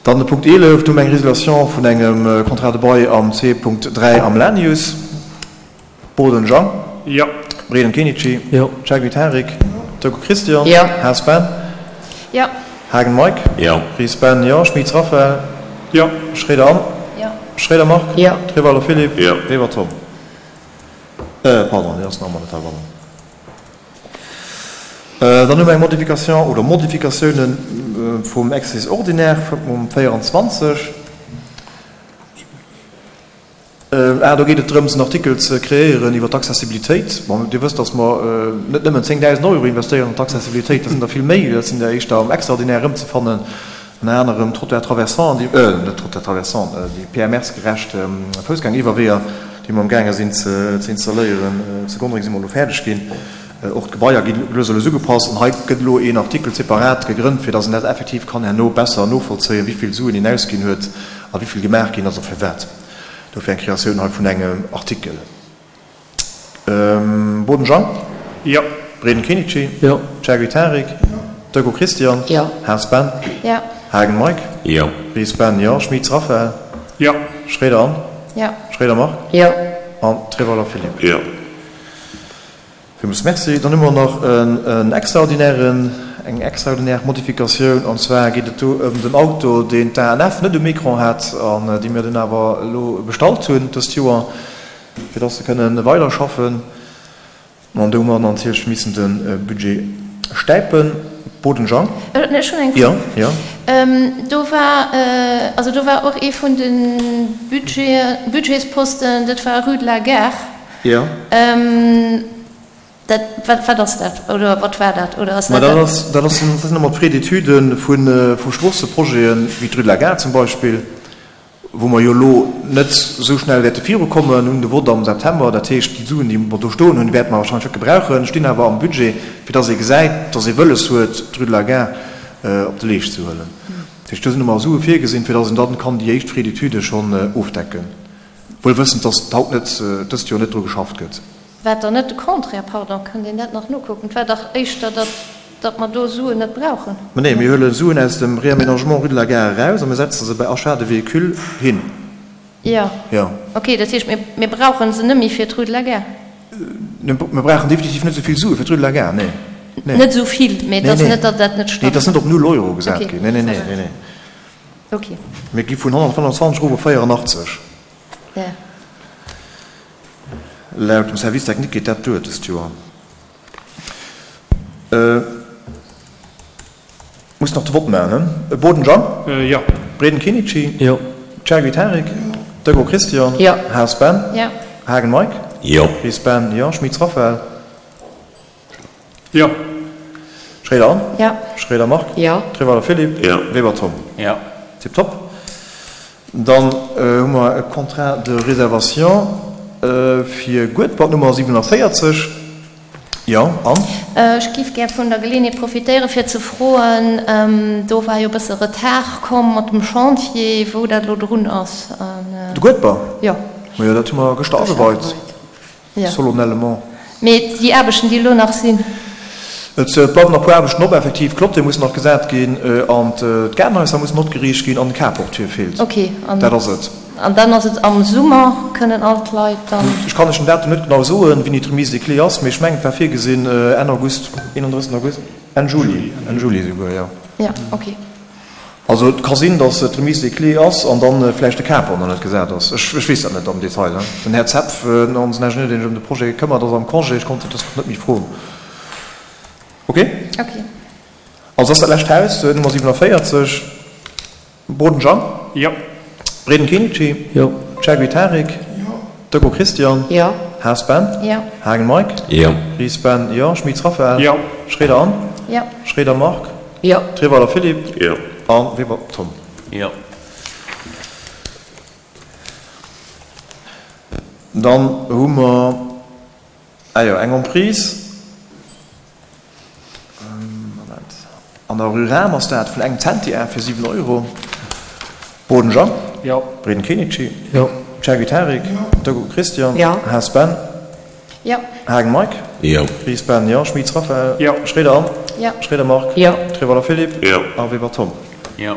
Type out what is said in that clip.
Dann de Punkt 11, do hu mer eng Résiliation vun engem Contrat de bail am C.3 am Lanius. Boden Jean. Jo. Breden Kenichi. Jo. Chergui Tarik. Decaux Christian. Jo. Haas Ben. Jo. Haagen Mike. Jo. Ries Ben, jo. Schmitz Raphaël. Jo. Schroeder Anne. Jo. Schroeder Marc. Jo. Treweiler Philippe. Jo. Weber Tom. Pardon, deen ass nach emol net heibannen. Dann hu mer eng Modification oder Modifikatiounen vum Exercice ordinaire vum 24. Ah, do geet et drëms, en Artikel ze kreéieren iwwer d'Accessibilitéit. Bon, Dir wësst, dass mer net nëmmen 10.000 Euro investéieren an d'Accessibilitéit, dat sinn der vill méi, dat sinn der éischter am Extraordinaire erëmzefannen, ënner anerem Trottoir traversant, déi, net Trottoir traversant, déi PMR-gerecht Foussgängeriwwerweeër, déi mer amgaange sinn ze installéieren. Zu Gonnereng si mer elo fäerdeg ginn. Och d'Gebaier gi lues a lues ugepasst. An hei gëtt elo een Artikel separat gegrënnt, fir dass een dat effektiv kann herno besser novollzéien, wéi vill Suen een ausginn huet a wéi vill gemaach ginn ass a firwat. Dofir eng Kreatioun hei vun engem Artikel. Boden Jean? Jo. Breden Kenichi? Jo. Chergui Tarik? Jo. Decaux Christian? Jo. Haas Ben? Jo. Haagen Mike? Jo. Ries Ben, jo. Schmitz Raphaël? Jo. Schroeder Anne? Jo. Schroeder Marc? Jo. An Treweiler Philippe? Jo. Villmools Merci. Dann hu mer nach en extraordinären, eng extraordinär Modifikatioun, an zwar geet et do ëm den Auto, deen d'ANF net um Ecran hat an dee mir dunn awer elo bestallt hunn dëst Joer, fir dass se kënnen weiderschaffen. An do hu mer natierlech missen de Budget stäipen. Boden Jean. Ech hunn eng Fro. Jo, jo. Do war, also do war och ee vun de Budgeten, Budgetsposten, dat war Rue de la Gare. Jo. Dat, wat, wat ass dat? Oder wat war dat? Oder ass Ma dat dat ass, dat ass, dat sinn ëmmer d'Frais-d'études vu, vu Stroosseprojeten, wéi d'Rue de la Gare zum Beispill, wou mer jo elo net esou schnell wäerte virukommen, hunn de Vott am September. Dat heescht, déi Suen, déi mer do stoen hunn, wäerte mer wahrscheinlech net gebrauchen, stinn awer am Budget, fir dass ee gesäit, dass ee wëlles huet, d'Rue de la Gare op de Leescht ze huelen. Dat heescht, do sinn ëmmer Sue virgesinn, fir dass een dann kann déi éischt Frais-d'études schonn ofdecken. Wuel wëssend, dass haut net, dëst Joer net dru geschafft gëtt. War dann net de Contraire? Pardon, kënnt een dat nach nokucken? Et war dach éischter, datt, datt mer do Suen net brauchen. Mä nee, mir huele Suen aus dem Réaménagement rue de la Gare eraus a mir setze se bei Achat de véhicules hin. Jo. Jo. Okay, dat heescht, mir, mir brauche se net méi fir d'rue de la Gare? Mir brauchen definitiv net esou vill Sue fir d'rue de la Gare, nee. Nee. Net esou vill, mä et ass net, datt dat net stëmmt. Nee, et ass net op null Euro gesat ginn. Nee, nee, nee, nee, nee. Okay. Mir gi vun 125 erof op 84. Ja. Laut dem Service technique geet dat duer dëst Joer. Muss nach de Vott maachen, he? Boden Jean? Jo. Breden Kenichi? Jo. Chergui Tarik? Jo. Decaux Christian? Jo. Haas Ben? Jo. Haagen Mike? Jo. Ries Ben? Jo. Schmitz Raphaël? Jo. Schroeder Anne? Jo. Schroeder Marc? Jo. Treweiler Philippe? Jo. Weber Tom? Jo. Tiptop. Dann hu mer e Contrat de réservation fir Guedber, d'Nummer 47. Jo, Anne? Ech giff gär vun der Geleeënheet profitéieren, fir ze froen, do war jo e bësse Retard komm mat dem Chantier, wou dat elo drun ass. De Guedber? Jo. Majo, dat hu mer gëschter ageweit. Jo. Solennellement. Mee déi Aarbechten, déi elo nach sinn? Et bleiwen nach e puer Aarbechten op, effektiv. D'Clôture mussen nach gesat ginn an d'Gaardenhaiser mussen opgeriicht ginn an de Carport feelt. Ok. Dat ass et. An dann ass et am Summer, kënnen all d'Leit dann. Ech kann lech den Datum net genau soen, wéini d'Remise des clés ass, mee ech mengen, et war virgesinn Enn August, 31. August, Enn Juli, Enn Juli esouguer, jo. Jo, ok. Also et ka sinn, datt et d'Remise des clés ass an dann vläicht de Carport nach net gesat ass. Ech weess dat net am Detail. Den Här Zepf, onsen Ingenieur, deen sech ëm de Projet këmmert, ass am Congé. Ech konnt dës Woch net méi froen. Ok? Ok. Also ass dat lescht Haus, Nummer 47, Boden Jean? Jo. Breden Kenichi? Jo. Chergui Tarik? Jo. Decaux Christian? Jo. Haas Ben? Jo. Haagen Mike? Jo. Ries Ben? Jo. Schmitz Raphaël? Jo. Schroeder Anne? Jo. Schroeder Marc? Jo. Treweiler Philippe? Jo. A Weber Tom? Jo. Dann hu mer, ah jo, eng Emprise, Moment, an der Rue Rahm ass dat, vun engem Zentiar fir 7 Euro. Boden Jean? Jo. Breden Kenichi? Jo. Chergui Tarik? Jo. Decaux Christian? Jo. Haas Ben? Jo. Haagen Mike? Jo. Ries Ben, jo. Schmitz Raphaël? Jo. Schroeder Anne? Jo. Schroeder Marc? Jo. Treweiler Philippe? Jo. A Weber Tom? Jo.